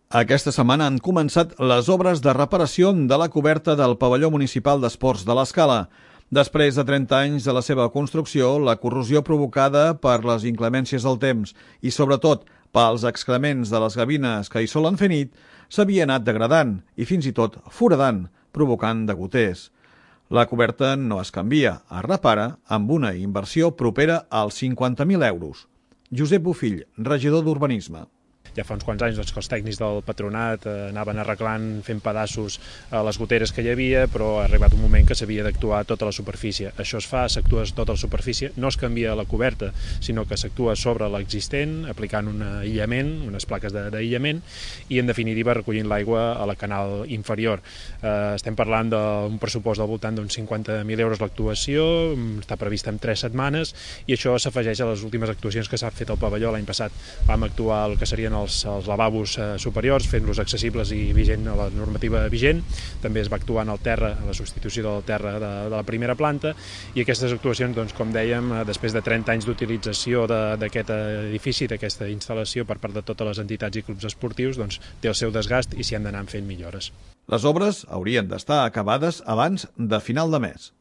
Aquesta setmana han començat les obres de reparació de la coberta del pavelló municipal d'esports de l'Escala. Després de 30 anys de la seva construcció, la corrosió provocada per les inclemències del temps i, sobretot, pels excrements de les gavines que hi solen fer nit, s'havia anat degradant i fins i tot foradant, provocant degoters. La coberta no es canvia, es repara amb una inversió propera als 50.000 euros. Josep Bofill, regidor d'Urbanisme. Ja fa uns quants anys que els tècnics del patronat anaven arreglant, fent pedaços les goteres que hi havia, però ha arribat un moment que s'havia d'actuar tota la superfície. Això es fa, s'actua tota la superfície, no es canvia la coberta, sinó que s'actua sobre l'existent, aplicant un aïllament, unes plaques d'aïllament, i en definitiva recollint l'aigua a la canal inferior. Estem parlant d'un pressupost del voltant d'uns 50.000 euros l'actuació, està prevista en 3 setmanes, i això s'afegeix a les últimes actuacions que s'ha fet al pavelló l'any passat. Vam actuar el que serien els lavabos superiors, fent-los accessibles i vigent a la normativa vigent. També es va actuar en el terra, a la substitució del terra de la primera planta, i aquestes actuacions, doncs, com dèiem, després de 30 anys d'utilització d'aquest edifici, d'aquesta instal·lació per part de totes les entitats i clubs esportius, doncs, té el seu desgast i s'hi han d'anar fent millores. Les obres haurien d'estar acabades abans de final de mes.